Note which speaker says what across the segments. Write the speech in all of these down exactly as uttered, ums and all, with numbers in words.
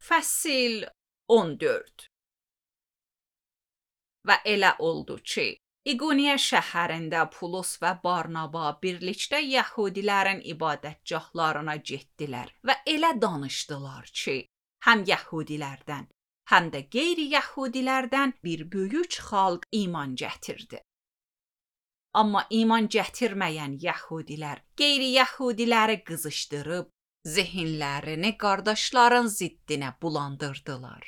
Speaker 1: Fəsil on dörd. Və elə oldu ki, İqoniya şəhərində Pulos və Barnaba birlikdə Yəhudilərin ibadətgahlarına getdilər və elə danışdılar ki, həm Yəhudilərdən, həm də qeyri-Yəhudilərdən bir böyük xalq iman gətirdi. Amma iman gətirməyən Yəhudilər qeyri-Yəhudiləri qızışdırıb, zehinlərini qardaşların ziddinə bulandırdılar.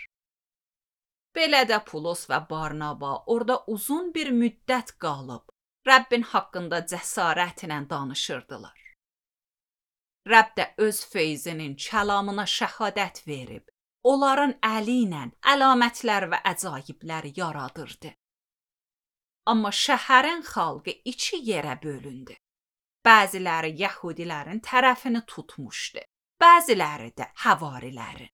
Speaker 1: Belə də Pulos və Barnaba orada uzun bir müddət qalıb, Rəbbin haqqında cəsarətlə danışırdılar. Rəbb də öz feyzinin kəlamına şəhadət verib, onların əli ilə əlamətlər və əcaiblər yaradırdı. Amma şəhərin xalqı iki yerə bölündü. Bəziləri Yəhudilərin tərəfini tutmuşdu, bəziləri də həvarilərin.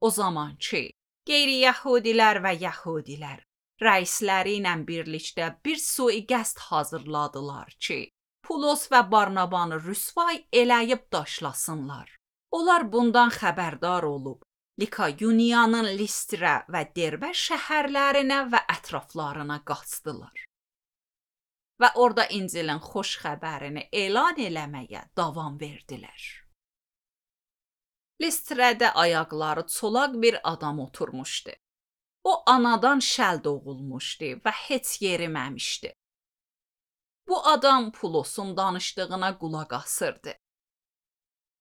Speaker 1: O zaman ki, qeyri-Yəhudilər və Yəhudilər rəisləri ilə birlikdə bir sui-qəsd hazırladılar ki, Pulos və Barnabanı rüsvay eləyib daşlasınlar. Onlar bundan xəbərdar olub, Likayoniyanın Listra və Derbə şəhərlərinə və ətraflarına qaçdılar. Və orada İncilin xoş xəbərini elan eləməyə davam verdilər. Listrədə ayaqları çolaq bir adam oturmuşdu. O anadan şəl doğulmuşdu və heç yeriməmişdi. Bu adam Pulosun danışdığına qulaq asırdı.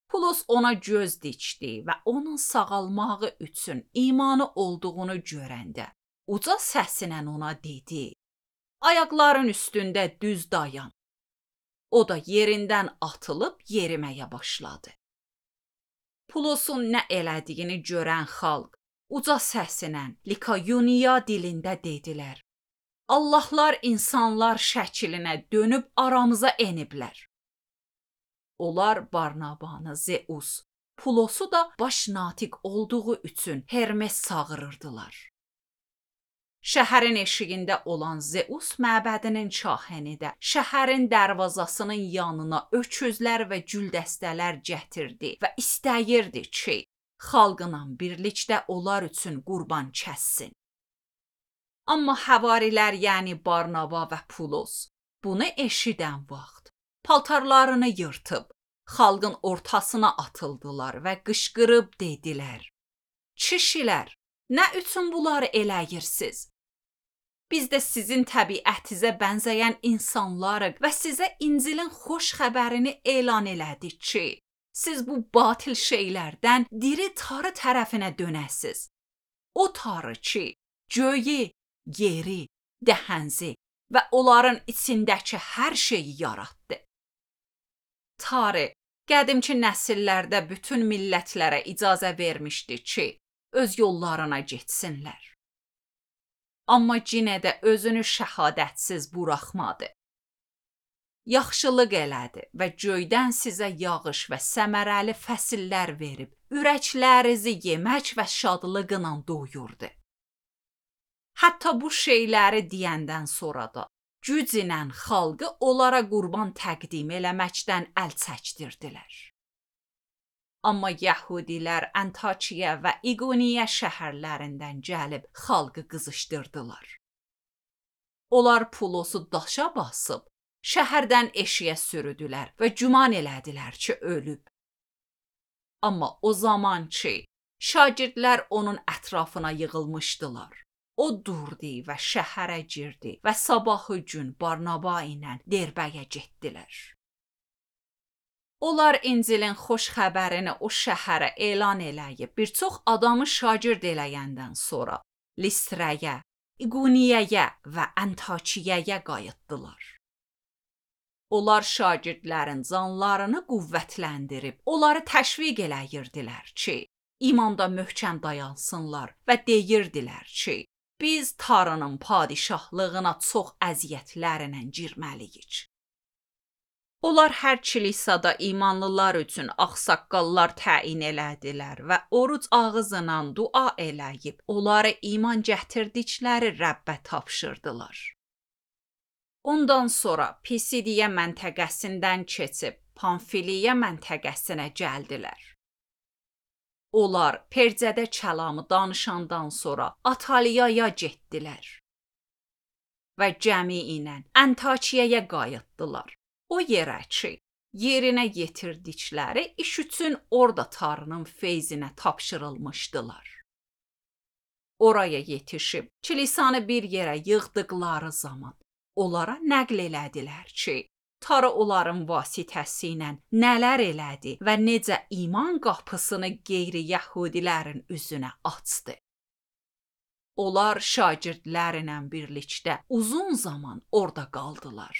Speaker 1: Pulos ona göz dikdi və onun sağalmağı üçün imanı olduğunu görəndə uca səsinə ona dedi: "Ayaqların üstündə düz dayan." O da yerindən atılıb yeriməyə başladı. Pulosun nə elədiyini görən xalq uca səsinə Likayoniya dilində dedilər: "Allahlar insanlar şəklinə dönüb aramıza eniblər." Onlar Barnabanı Zeus, Pulosu da baş natiq olduğu üçün Hermes çağırırdılar. Şəhərin eşiyində olan Zeus məbədinin kahini də şəhərin dərvazasının yanına öküzlər və güldəstələr gətirdi və istəyirdi ki, xalqla birlikdə onlar üçün qurban kəssin. Amma həvarilər, yəni Barnaba və Pulos, bunu eşidən vaxt paltarlarını yırtıb, xalqın ortasına atıldılar və qışqırıb dedilər: "Kişilər, nə üçün bunları eləyirsiniz? Biz də sizin təbiətinizə bənzəyən insanlarıq və sizə İncilin xoş xəbərini elan elədik ki, siz bu batil şeylərdən diri Tanrı tərəfinə dönəsiz. O Tanrı ki, göyü, yeri, dəhənzi və onların içindəki hər şeyi yaratdı. Tanrı qədimki nəsillərdə bütün millətlərə icazə vermişdi ki, öz yollarına getsinlər. Amma yenə də özünü şəhadətsiz buraxmadı. Yaxşılıq elədi və göydən sizə yağış və səmərəli fəsillər verib, ürəklərinizi yemək və şadlıqla doyurdu. Hətta bu şeyləri deyəndən sonra da güclə xalqı onlara qurban təqdim eləməkdən əl çəkdirdilər. Amma Yəhudilər Antakiya və İqoniya şəhərlərindən gəlib xalqı qızışdırdılar. Onlar Pulosu daşa basıb, şəhərdən eşiyə sürüdülər və güman elədilər ki, ölüb. Amma o zaman ki, şagirdlər onun ətrafına yığılmışdılar. O durdu və şəhərə girdi və sabahı gün Barnaba ilə Derbəyə getdilər. Onlar İncilin xoş xəbərini o şəhərə elan eləyib, bir çox adamı şagird eləyəndən sonra Listrəyə, İqoniyaya və Antakiyaya qayıtdılar. Onlar şagirdlərin canlarını qüvvətləndirib, onları təşviq eləyirdilər ki, imanda möhkəm dayansınlar və deyirdilər ki, biz Tanrının padişahlığına çox əziyyətlərlə girməliyik. Onlar hər kilisada imanlılar üçün ağsaqqallar təyin elədilər və oruc ağzıyla dua eləyib, onları iman gətirdikləri Rəbbə tapşırdılar. Ondan sonra Pisidiya məntəqəsindən keçib Pamfiliya məntəqəsinə gəldilər. Onlar Percədə kəlamı danışandan sonra Ataliyaya getdilər və cəmi ilə Antakiyaya qayıtdılar. O yerə ki, yerinə yetirdikləri iş üçün orada Tanrının feyzinə tapşırılmışdılar. Oraya yetişib kilisanı bir yerə yığdıqları zaman onlara nəql elədilər ki, Tanrı onların vasitəsi ilə nələr elədi və necə iman qapısını qeyri-yəhudilərin üzünə açdı. Onlar şagirdlərlə birlikdə uzun zaman orada qaldılar.